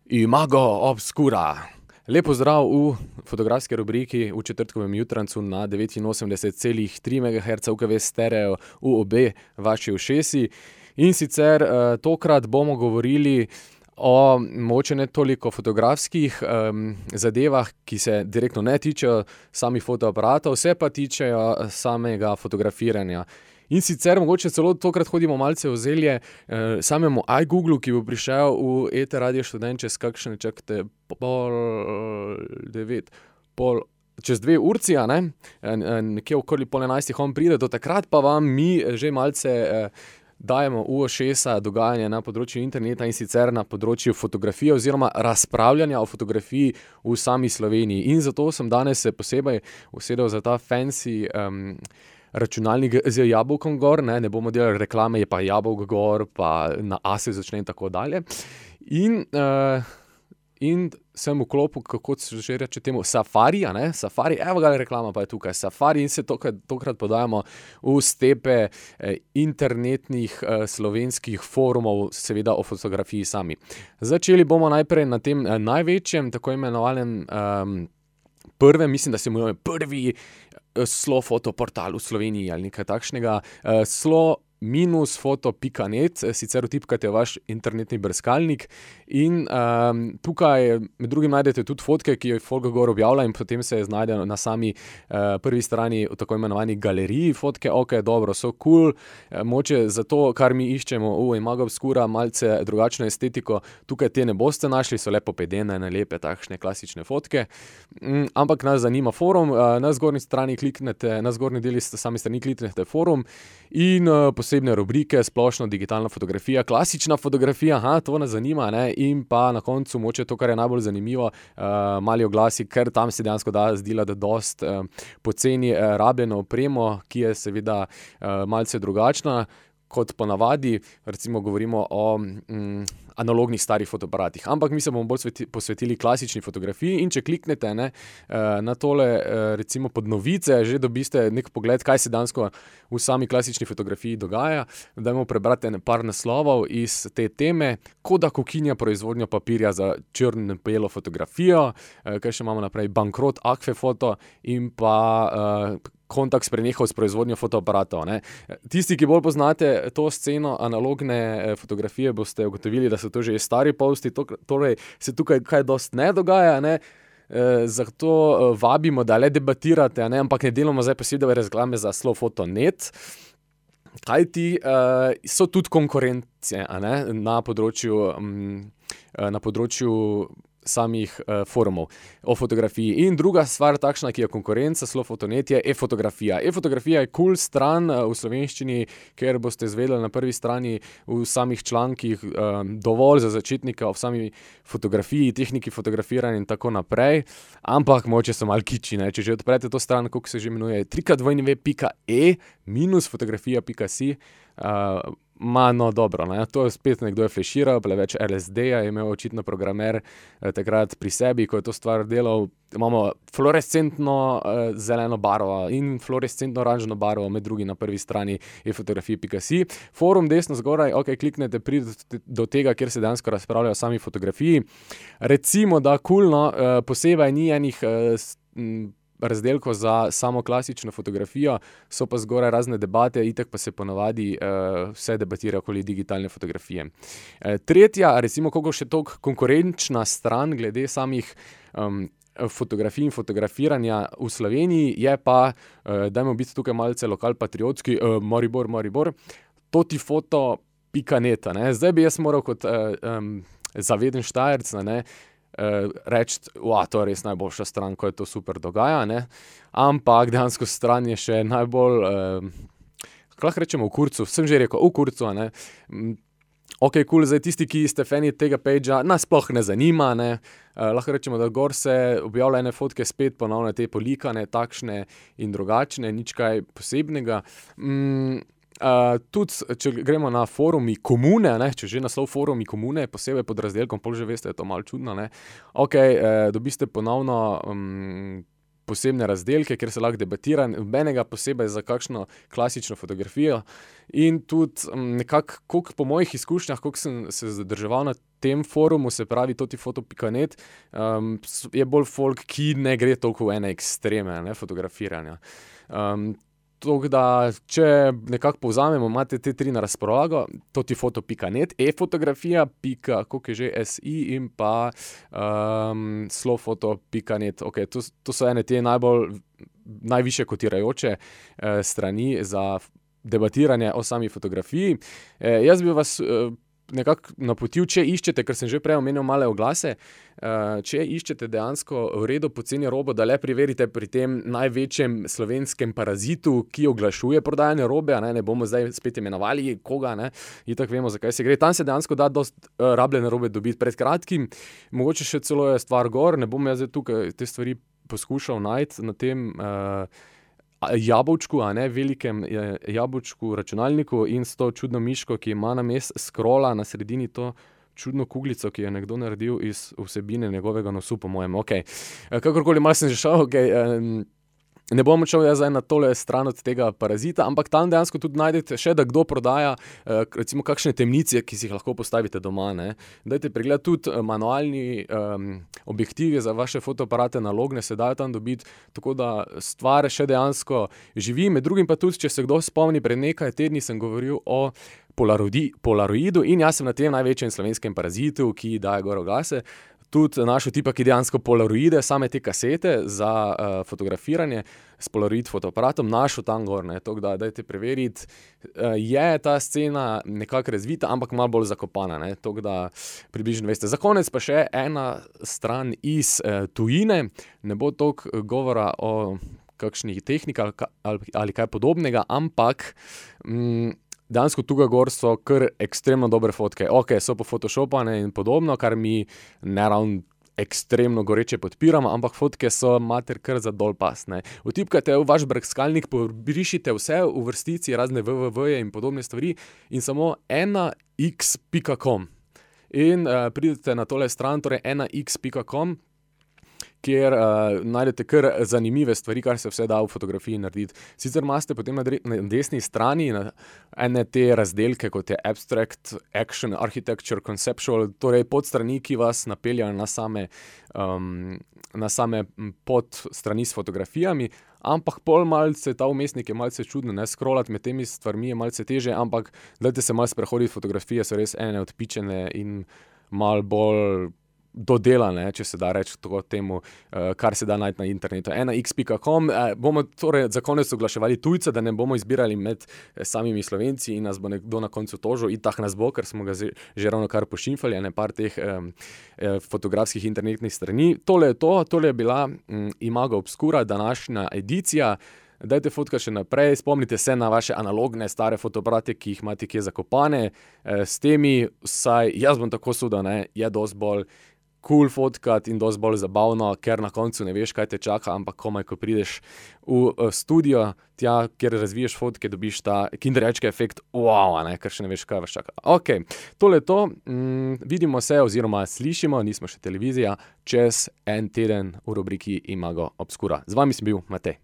Imago Obscura. Lep pozdrav v fotografski rubriki v četrtkovem jutrancu na 89,3 MHz UKV stereo v obe vaši ušesi. In sicer tokrat bomo govorili o mogoče ne toliko fotografskih zadevah, ki se direktno ne tičejo samih fotoaparatov, se pa tičejo samega fotografiranja. In sicer mogoče celo tokrat hodimo malce v zelje samemu iGooglu, ki bo prišel v ET Radio Študent čez kakšne, čakajte, čez 2 urci, a ne? Nekje okoli 10:30 on pride, do takrat pa vam mi že malce dajemo v ušesa dogajanje na področju interneta in sicer na področju fotografije oziroma razpravljanja o fotografiji v sami Sloveniji. In zato sem danes se posebej usedel za ta fancy računalnik z jabolkom gor, ne bomo delali reklame, je pa jabolk gor, pa na A se začne in tako dalje. In sem vklopil, kako se že reče temu, Safari, a ne, Safari, evo ga reklama pa je tukaj, Safari, in se tokrat podajamo v stepe internetnih slovenskih forumov, seveda o fotografiji sami. Začeli bomo najprej na tem največjem, tako imenovanem prvem, mislim, da se imenuje prvi slofotoportal v Sloveniji ali nekaj takšnega, slo-foto.net, sicer vtipkate vaš internetni brskalnik in tukaj med drugim najdete tudi fotke, ki jo folk gor objavlja in potem se znajde na sami prvi strani v tako imenovani galeriji fotke, ok, dobro, so cool, mogoče zato, kar mi iščemo v Imago Obscura, malce drugačno estetiko, tukaj te ne boste našli, so lepo pedene, lepe takšne klasične fotke, ampak nas zanima forum, na zgornji strani kliknete, na zgornji deli sami strani kliknete forum in posebne rubrike, splošno digitalna fotografija, klasična fotografija, to nas zanima, ne, in pa na koncu mogoče to, kar je najbolj zanimivo, mali oglasi, ker tam se dejansko da zdelati dosti poceni rabljeno opremo, ki je seveda malce drugačna kot ponavadi, recimo govorimo o analognih starih fotoaparatih, ampak mi se bomo bolj posvetili klasični fotografiji in če kliknete na tole recimo pod novice, že dobiste nek pogled, kaj se dejansko v sami klasični fotografiji dogaja. Dajmo prebrati par naslovov iz te teme, Kodak ukinja proizvodnjo papirja za črno-belo fotografijo, kaj še imamo naprej, bankrot Akvefoto in pa Kontakt prenehal s proizvodnjo fotoaparatov, ne. Tisti, ki bolj poznate to sceno analogne fotografije, boste ugotovili, da so to že stari posti, torej se tukaj kaj dosti ne dogaja, ne. Zato vabimo, da le debatirate, ne, ampak ne delamo zdaj posebej reklame za slofoto.net, kajti so tudi konkurence, a ne, na področju samih forumov o fotografiji. In druga stvar takšna, ki je konkurenca slofoto.net, je e-fotografija. E-fotografija je cool stran v slovenščini, ker boste izvedeli na prvi strani v samih člankih dovolj za začetnika o sami fotografiji, tehniki fotografiranja in tako naprej, ampak mogoče so malo kiči, ne, če že odprete to stran, kako se že imenuje, www.e-fotografija.si, no dobro, ne, to je spet nekdo je fleširal, preveč LSD-ja je imel očitno programer takrat pri sebi, ko je to stvar delal. Imamo fluorescentno zeleno barvo in fluorescentno oranžno barvo, med drugim na prvi strani e-fotografija.si. Forum desno zgoraj, ok, kliknete, pridete do tega, kjer se dejansko razpravlja o sami fotografiji. Recimo, da coolno, posebej ni enih razdelkov za samo klasično fotografijo, so pa zgoraj razne debate, itak pa se ponavadi vse debatira okoli digitalne fotografije. Tretja, recimo koliko še toliko konkurenčna stran glede samih fotografij in fotografiranja v Sloveniji je pa, dajmo biti tukaj malce lokalpatriotski, Maribor, totifoto.net, ne. Zdaj bi jaz moral kot zaveden Štajerc, ne, reči, to je res najboljša stran, ko je to super dogaja, ne, ampak dejansko stran je še najbolj, lahko rečemo v kurcu, sem že rekel, v kurcu, ne, ok, cool, zdaj tisti, ki ste fani tega pagea, nas sploh ne zanima, ne, lahko rečemo, da gor se objavlja ene fotke spet ponovno te polikane, takšne in drugačne, nič kaj posebnega. Tudi, če gremo na forumi komune, ne, če že naslov forumi komune, posebej pod razdelkom, pol že veste, je to malo čudno, ne, ok, dobiste ponovno posebne razdelke, kjer se lahko debatira, nobenega posebej za kakšno klasično fotografijo. In tudi nekako, koliko po mojih izkušnjah, koliko sem se zadrževal na tem forumu, se pravi totifoto.net, je bolj folk, ki ne gre toliko v ene ekstreme, ne, fotografiranja. Tako da, če nekako povzamemo, imate te 3 na razpolago, totifoto.net, e-fotografija, koliko je že, SI in pa slowfoto.net. Okay, to so ene te najvišje kotirajoče strani za debatiranje o sami fotografiji. Jaz bi vas nekako napotil, če iščete, ker sem že prej omenil male oglase, če iščete dejansko v redu poceni robo, da le preverite pri tem največjem slovenskem parazitu, ki oglašuje prodajanje robe, ne bomo zdaj spet imenovali koga, itak vemo, zakaj se gre. Tam se dejansko da dosti rabljene robe dobiti pred kratkim, mogoče še celo je stvar gor, ne bom jaz tukaj te stvari poskušal najti na tem jabolčku, velikem jabolčku računalniku in s to čudno miško, ki ima namesto scrolla na sredini to čudno kuglico, ki je nekdo naredil iz vsebine njegovega nosu, po mojem. Kakorkoli, malo sem že šel, ne bom šel jaz zdaj na tole stran od tega parazita, ampak tam dejansko tudi najdete še, da kdo prodaja recimo kakšne temnice, ki si jih lahko postavite doma, Dajte pregledati tudi manualni objektivi za vaše fotoaparate, nalogne se dajo tam dobiti, tako da stvar še dejansko živi. Med drugim pa tudi, če se kdo spomni, pred nekaj tedni sem govoril o polaroidu in jaz sem na tem največjem slovenskem parazitu, ki daje gor oglase, tudi našel tipa, ki dejansko polaroide, same te kasete za fotografiranje s polaroid fotoaparatom, našel tam gor, tako da dajte preveriti. Je ta scena nekako razvita, ampak malo bolj zakopana, tako da približno veste. Za konec pa še ena stran iz tujine, ne bo toliko govora o kakšnih tehnikah ali kaj podobnega, ampak dejansko tukaj gor so kar ekstremno dobre fotke. So pofotoshopane in podobno, kar mi ne ravno ekstremno goreče podpiramo, ampak fotke so mater kar za dol pas, Vtipkajte v vaš brskalnik, pobrišite vse v vrstici, razne www-je in podobne stvari in samo 1x.com. In pridete na tole stran, torej 1x.com, kjer najdete kar zanimive stvari, kar se vse da v fotografiji narediti. Sicer imate potem na desni strani ene te razdelke, kot je Abstract, Action, Architecture, Conceptual, torej podstrani, ki vas napeljajo na same podstrani s fotografijami, ampak pol malce, ta vmesnik je malce čudno, scrollati med temi stvarmi je malce teže, ampak dajte se malo sprehoditi, fotografije so res ene odpičene in malo bolj dodelane, če se da reči tako temu, kar se da najti na internetu. 1x.com, bomo torej za konec oglaševali tujce, da ne bomo izbirali med samimi Slovenci in nas bo nekdo na koncu tožil, itak nas bo, ker smo ga že ravno kar pošimfali, par teh fotografskih internetnih strani. Tole je to, tole je bila Imago Obscura, današnja edicija. Dajte fotkati še naprej, spomnite se na vaše analogne stare fotoaparate, ki jih imate kje zakopane. S temi, saj jaz bom tako sudil, je dosti bolj cool fotkati in dosti bolj zabavno, ker na koncu ne veš, kaj te čaka, ampak komaj, ko prideš v studio, tja, kjer razviješ fotke, dobiš ta kinderječki efekt, wow, ker še ne veš, kaj vas čaka. Tole je to, vidimo se oziroma slišimo, nismo še televizija, čez en teden v rubriki Imago Obscura. Z vami sem bil Matej.